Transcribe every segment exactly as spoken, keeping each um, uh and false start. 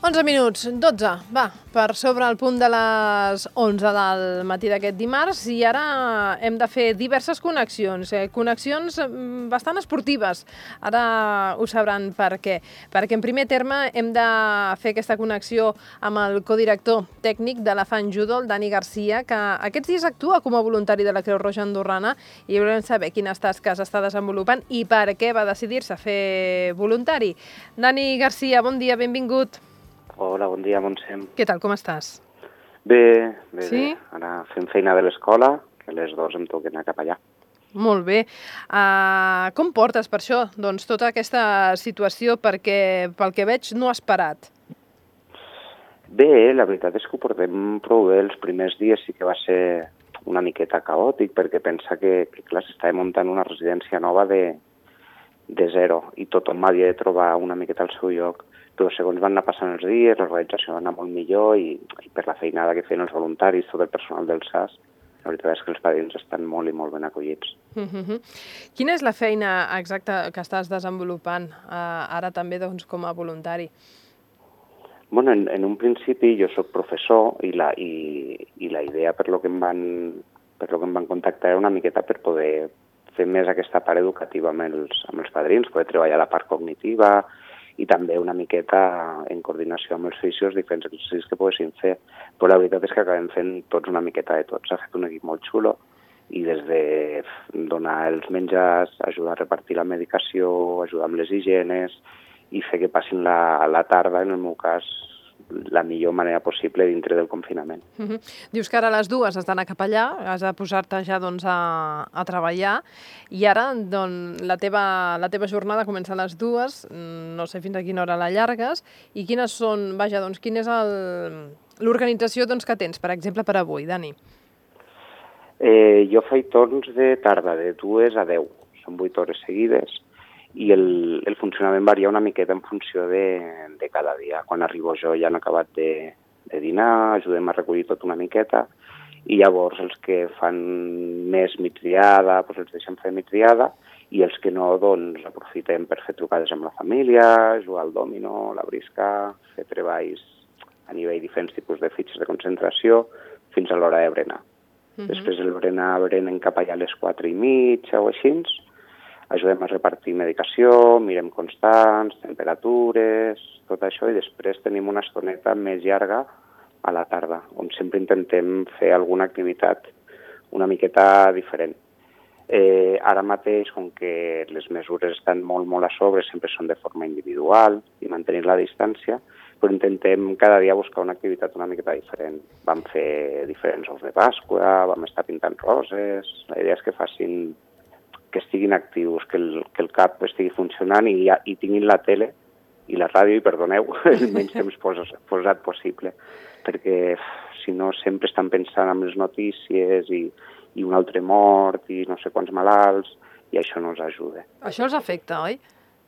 onze minuts, dotze, va, per sobre el punt de les onze del matí d'aquest dimarts i ara hem de fer diverses connexions, eh, connexions bastant esportives. Ara ho sabran per què. Perquè en primer terme hem de fer aquesta connexió amb el codirector tècnic de l'Afant Judo, el Dani Garcia, que aquests dies actua com a voluntari de la Creu Roja Andorrana i volem saber quines tasques està desenvolupant i per què va decidir-se a fer voluntari. Dani Garcia, bon dia, benvingut. Hola, bon dia, Montsem. Què tal, com estàs? Bé, bé, sí? bé. Ara fem feina de l'escola, que a les dues em toquen anar cap allà. Molt bé. Uh, com portes per això? Doncs tota aquesta situació, perquè pel que veig no has parat. Bé, la veritat és que ho portem prou bé. Els primers dies sí que va ser una miqueta caòtic, perquè pensa que, que clar, s'estava muntant una residència nova de, de zero i tothom havia de trobar una miqueta al seu lloc. Però segons van anar passant els dies, l'organització va anar molt millor i, i per la feinada que feien els voluntaris, tot el personal del S A S, la veritat és que els padrins estan molt i molt ben acollits. Uh-huh. Quina és la feina exacta que estàs desenvolupant uh, ara també doncs, com a voluntari? Bueno, en, en un principi jo sóc professor i la, i, i la idea per lo que em van, per lo que em van contactar era una miqueta per poder fer més aquesta part educativa amb els, amb els padrins, poder treballar la part cognitiva i també una miqueta en coordinació amb els fisios diferents exercicis que poguessin fer. Però la veritat és que acabem fent tots una miqueta de tots. S'ha fet un equip molt xulo i des de donar els menjars, ajudar a repartir la medicació, ajudar amb les higienes i fer que passin la, la tarda, en el meu cas, la millor manera possible dintre del confinament. Uh-huh. Dius que ara a les dues has d'anar cap allà, has de posar-te ja doncs, a, a treballar i ara doncs, la, teva, la teva jornada comença a les dues, no sé fins a quina hora la llargues i quines són, vaja, doncs, quina és l'organització doncs, que tens, per exemple, per avui, Dani? Eh, jo faig torns de tarda, de dues a deu, són vuit hores seguides i el, el funcionament varia una miqueta en funció de, de cada dia. Quan arribo jo ja han acabat de, de dinar, ajudem a recollir tot una miqueta i llavors els que fan més migdiada, doncs els deixem fer migdiada i els que no, doncs aprofitem per fer trucades amb la família, jugar al dòmino, la brisca, fer treballs a nivell diferents tipus de fitxes de concentració fins a l'hora de berenar. Uh-huh. Després el berenar berenen cap allà a les quatre i mitja o així, ajudem a repartir medicació, mirem constants, temperatures, tot això, i després tenim una estoneta més llarga a la tarda, on sempre intentem fer alguna activitat una miqueta diferent. Eh, ara mateix, com que les mesures estan molt, molt a sobre, sempre són de forma individual i mantenir la distància, però intentem cada dia buscar una activitat una miqueta diferent. Vam fer diferents ous de Pasqua, vam estar pintant roses, la idea és que facin que estiguin actius, que el, que el cap estigui funcionant i, i tinguin la tele i la ràdio, i perdoneu, el menys temps posat, posat possible, perquè si no sempre estan pensant en les notícies i, i un altre mort i no sé quants malalts, i això no els ajuda. Això els afecta, oi?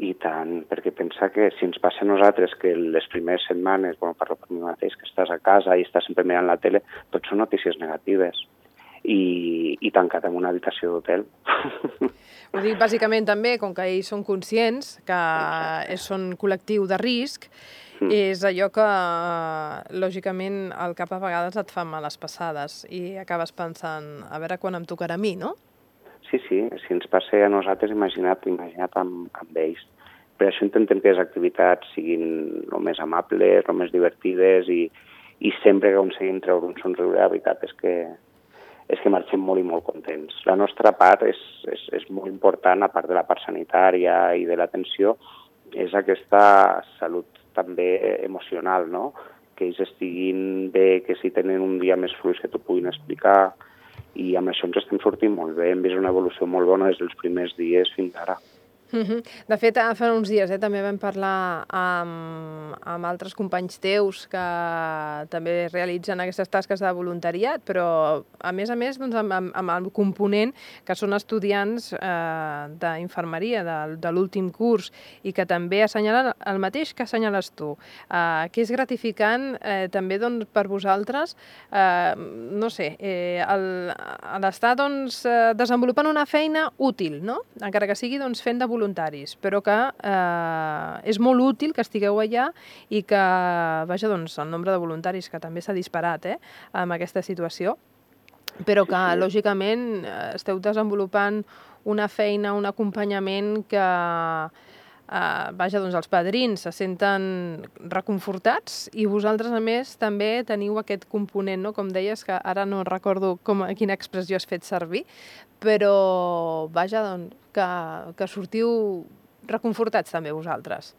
I tant, perquè pensa que si ens passa a nosaltres que les primeres setmanes, bueno, parlo per mi mateix, que estàs a casa i estàs sempre mirant la tele, tot són notícies negatives. I, i tancat en una habitació d'hotel. Ho dic bàsicament també, com que ells són conscients que Exacte. Són col·lectiu de risc, mm. és allò que, lògicament, el cap a vegades et fa males passades i acabes pensant, a veure quan em tocarà a mi, no? Sí, sí, si ens passa a nosaltres, imagina't, imagina't amb, amb ells. Per això intentem que les activitats siguin el més amables, el més divertides i, i sempre que aconseguim treure un somriure, la veritat és que és que marxem molt i molt contents. La nostra part és, és, és molt important, a part de la part sanitària i de l'atenció, és aquesta salut també emocional, no? Que ells estiguin bé, que si tenen un dia més fluix que t'ho puguin explicar, i amb això ens estem sortint molt bé. Hem vist una evolució molt bona des dels primers dies fins ara. Uh-huh. De fet, fa uns dies eh, també vam parlar amb, amb altres companys teus que també realitzen aquestes tasques de voluntariat, però a més a més doncs, amb, amb el component que són estudiants eh, d'infermeria de, de l'últim curs i que també assenyalen el mateix que assenyales tu, eh, que és gratificant eh, també doncs, per vosaltres, eh, no sé, eh, l'estar doncs, desenvolupant una feina útil, no? Encara que sigui doncs, fent de voluntaris, però que eh, és molt útil que estigueu allà i que, vaja, doncs, el nombre de voluntaris que també s'ha disparat eh, amb aquesta situació, però que, Sí, sí. lògicament, esteu desenvolupant una feina, un acompanyament que, eh, vaja, doncs els padrins se senten reconfortats i vosaltres, a més, també teniu aquest component, no? Com deies, que ara no recordo com, quina expressió has fet servir, però, vaja, doncs, que, que sortiu reconfortats també vosaltres.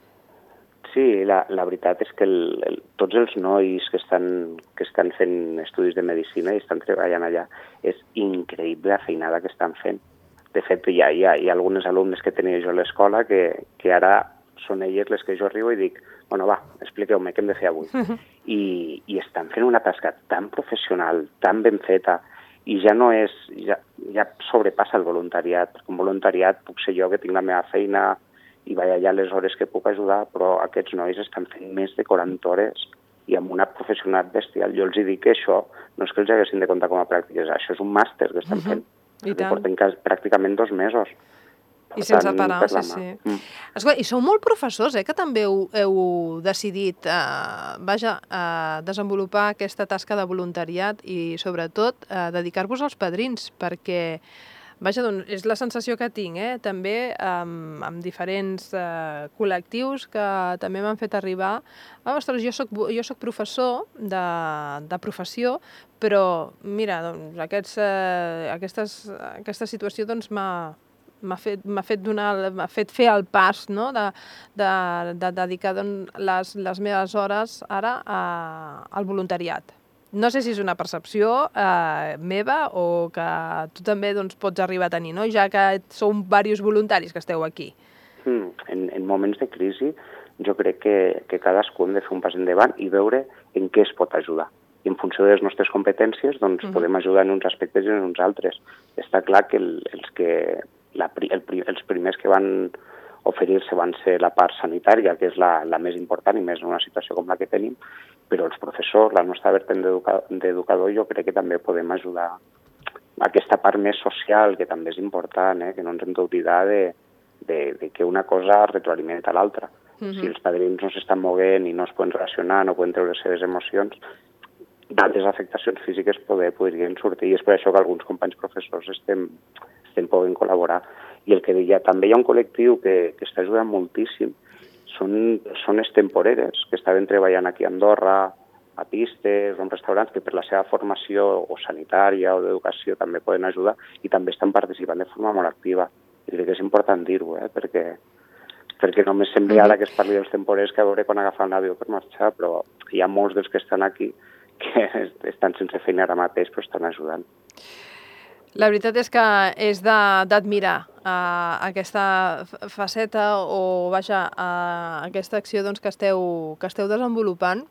Sí, la, la veritat és que el, el, tots els nois que estan, que estan fent estudis de medicina i estan treballant allà, és increïble la feinada que estan fent. De fet, hi ha, hi ha, hi ha algunes alumnes que tenia jo a l'escola que, que ara són elles les que jo arribo i dic, bueno, va, expliqueu-me què hem de fer avui. I, I estan fent una tasca tan professional, tan ben feta, i ja no és, ja, ja sobrepassa el voluntariat, perquè un voluntariat puc ser jo que tinc la meva feina i vaig allà les hores que puc ajudar, però aquests nois estan fent més de quaranta hores i amb una professionalitat bestial. Jo els dic que això no és que els haguessin de comptar com a pràctiques, això és un màster que estan fent. I tant. Porten pràcticament dos mesos. I sense parar, sí, sí. Mm. Escolta, i sou molt professors, eh, que també heu, heu decidit eh, vaja, eh, desenvolupar aquesta tasca de voluntariat i, sobretot, eh, dedicar-vos als padrins, perquè, vaja, doncs, és la sensació que tinc, eh, també amb, amb diferents eh, col·lectius que també m'han fet arribar, ah, ostres, jo soc, jo soc professor de, de professió, però, mira, doncs, aquests, eh, aquestes, aquesta situació doncs, m'ha m'ha fet, m'ha fet, donar, m'ha fet fer el pas, no? de, de, de dedicar doncs, les, les meves hores ara a, al voluntariat. No sé si és una percepció eh, meva o que tu també doncs, pots arribar a tenir, no? Ja que sou diversos voluntaris que esteu aquí. Mm, en, en moments de crisi jo crec que, que cadascú hem de fer un pas endavant i veure en què es pot ajudar. I en funció de les nostres competències doncs, uh-huh. podem ajudar en uns aspectes i en uns altres. Està clar que el, els que La, el, els primers que van oferir-se van ser la part sanitària, que és la, la més important i més en una situació com la que tenim, però els professors, la nostra vertent d'educador, jo crec que també podem ajudar a aquesta part més social, que també és important, eh? Que no ens hem d'oblidar de, de, de que una cosa retroalimenta l'altra. Uh-huh. Si els padrins no s'estan movent i no es poden relacionar, no poden treure les seves emocions, d'altres afectacions físiques poder, podrien sortir, i és per això que alguns companys professors estem estem podent col·laborar. I el que deia, també hi ha un col·lectiu que, que està ajudant moltíssim. Són persones temporeres que estaven treballant aquí a Andorra, a pistes o en restaurants, que per la seva formació o sanitària o d'educació també poden ajudar i també estan participant de forma molt activa. I crec que és important dir-ho, eh? perquè, perquè només sembla ara que es parli dels temporers que a veure quan agafen l'avió per marxar, però hi ha molts dels que estan aquí que estan sense feina ara mateix però estan ajudant. La veritat és que és d'admirar uh, aquesta faceta o, vaja, uh, aquesta acció doncs, que, esteu, que esteu desenvolupant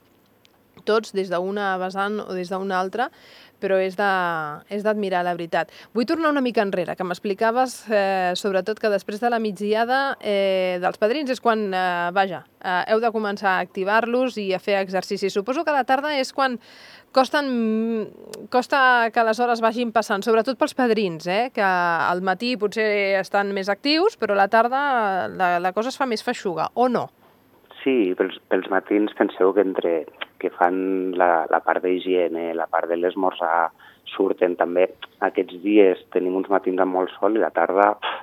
tots des d'una vessant o des d'una altra, però és d'admirar, la veritat. Vull tornar una mica enrere, que m'explicaves, eh, sobretot, que després de la migdiada eh, dels padrins és quan, eh, vaja, eh, heu de començar a activar-los i a fer exercicis. Suposo que a la tarda és quan costen, costa que les hores vagin passant, sobretot pels padrins, eh, que al matí potser estan més actius, però a la tarda la, la cosa es fa més feixuga, o no? Sí, pels, pels matins penseu que entre que fan la, la part d'higiene, la part de l'esmorzar, surten també. Aquests dies tenim uns matins amb molt sol i la tarda pff,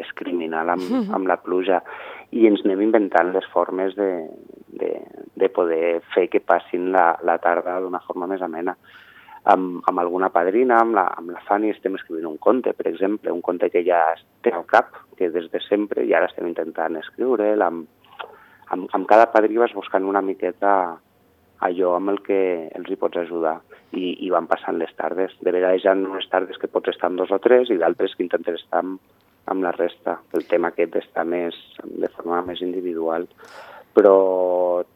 és criminal amb, amb la pluja. I ens anem inventant les formes de, de, de poder fer que passin la, la tarda d'una forma més amena. Amb, amb alguna padrina, amb la, amb la Fanny, estem escrivint un conte, per exemple, un conte que ja té al cap, que des de sempre, i ara estem intentant escriure'l. Amb, amb, amb cada padrí vas buscant una miqueta allò amb el que els hi pots ajudar i, i van passant les tardes. De vegades hi ha unes tardes que pots estar amb dos o tres i d'altres que intentes estar amb, amb la resta. El tema aquest està més, de forma més individual. Però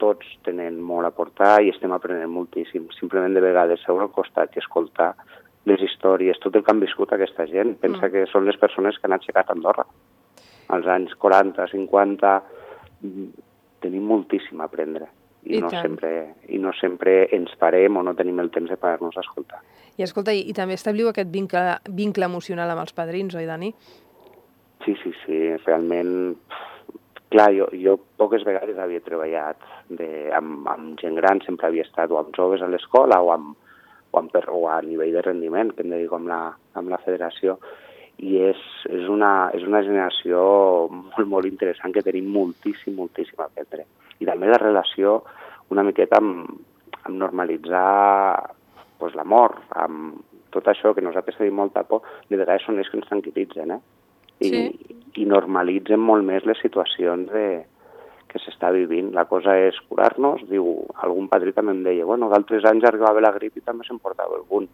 tots tenen molt a aportar i estem aprenent moltíssim. Simplement de vegades seure al costat i escoltar les històries, tot el que han viscut aquesta gent. Pensa mm. que són les persones que han aixecat Andorra. Als anys quaranta, cinquanta, tenim moltíssim a aprendre. I, I, no sempre, I no sempre ens parem o no tenim el temps de parar-nos a escoltar. I escolta, i, i també establiu aquest vincle, vincle emocional amb els padrins, oi, Dani? Sí, sí, sí, realment... Clar, jo, jo poques vegades havia treballat de, amb, amb gent gran, sempre havia estat o amb joves a l'escola o, amb, o, amb, o a nivell de rendiment, que em dedico amb la, amb la federació, i és, és, una, és una generació molt, molt interessant que tenim moltíssim, moltíssim a aprendre. I també la relació una miqueta amb, amb normalitzar pues, la mort, amb tot això que nosaltres tenim molta por, de vegades són ells que ens tranquil·litzen, eh? I, sí. i normalitzen molt més les situacions de, que s'està vivint. La cosa és curar-nos, diu, algun padrí també em deia, bueno, d'altres anys arribava la grip i també se'n portava algun.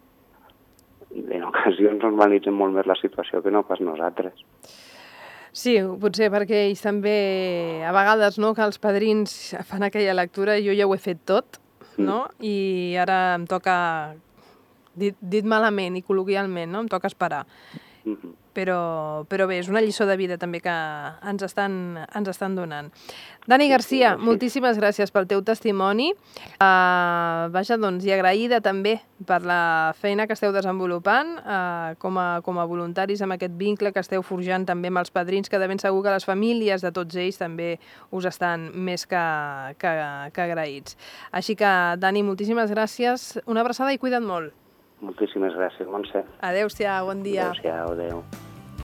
En ocasions normalitzen molt més la situació que no pas nosaltres. Sí, potser perquè ells també, a vegades, no, que els padrins fan aquella lectura, jo ja ho he fet tot, no? Mm. I ara em toca, dit, dit malament i col·loquialment, no? Em toca esperar. Mm-hmm. Però, però bé, és una lliçó de vida també que ens estan, ens estan donant. Dani Garcia, moltíssimes gràcies pel teu testimoni. Uh, vaja, doncs, i agraïda també per la feina que esteu desenvolupant uh, com, a, com a voluntaris amb aquest vincle que esteu forjant també amb els padrins, que de ben segur que les famílies de tots ells també us estan més que, que, que agraïts. Així que, Dani, moltíssimes gràcies. Una abraçada i cuida't molt. Moltíssimes gràcies, Montse. Adéu-siau, bon dia. Adéu-siau, adéu.